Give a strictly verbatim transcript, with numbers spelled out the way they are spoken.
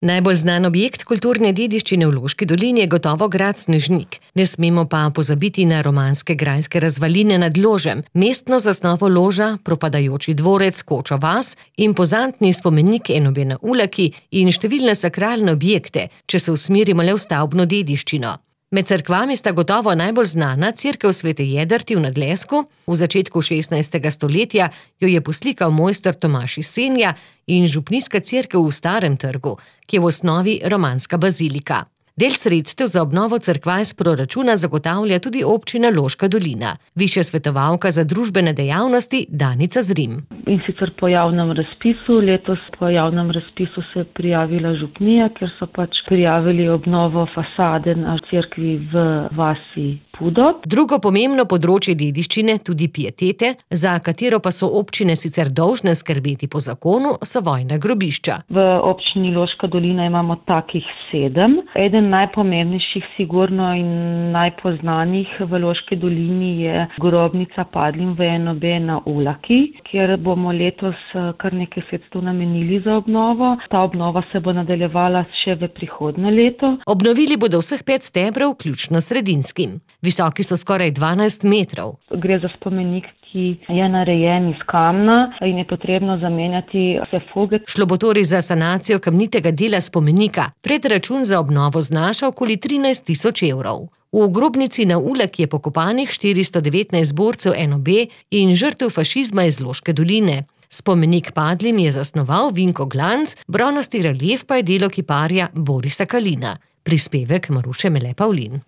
Najbolj znan objekt kulturne dediščine v Loški dolini je gotovo grad Snežnik. Ne smemo pa pozabiti na romanske grajske razvaline nad Ložem, mestno zasnovo Loža, propadajoči dvorec Kočo vas, impozantni spomenik Enobe na Ulaki in številne sakralne objekte, če se usmerimo le v stavbno dediščino. Med cerkvami sta gotovo najbolj znana cerkev Svete Jedrti v Nadlesku, v začetku šestnajstega stoletja jo je poslikal mojster Tomaž iz Senja, in župnijska cerkev v Starem trgu, ki je v osnovi romanska bazilika. Del sredstev za obnovo cerkva iz proračuna zagotavlja tudi občina Loška dolina. Višja svetovalka za družbene dejavnosti Danica Zrim. In sicer po javnem razpisu, letos po javnem razpisu se je prijavila župnija, ker so pač prijavili obnovo fasade na cerkvi v vasi Pudot. Drugo pomembno področje dediščine, tudi pietete, za katero pa so občine sicer dolžne skrbeti po zakonu, so vojna grobišča. V občini Loška dolina imamo takih sedem. Eden najpomembnejših sigurno in najpoznanih v Loški dolini je grobnica padlim v Enobe na Ulaki, kjer bomo letos kar nekaj sredstev namenili za obnovo. Ta obnova se bo nadaljevala še v prihodnje leto. Obnovili bodo vseh pet stebrov, vključno s sredinskim. Visoki so skoraj dvanajst metrov. Gre za spomenik, ki je narejen iz kamna in je potrebno zamenjati vse fuge. Šlo bo torej za sanacijo kamnitega dela spomenika. Predračun za obnovo znaša okoli trinajst tisoč evrov. V grobnici na Ulaki je pokopanih štiristo devetnajst borcev Enobe in žrtev fašizma iz Loške doline. Spomenik padlim je zasnoval Vinko Glanc, bronasti relief pa je delo kiparja Borisa Kalina. Prispevek Maruše Mele Pavlin.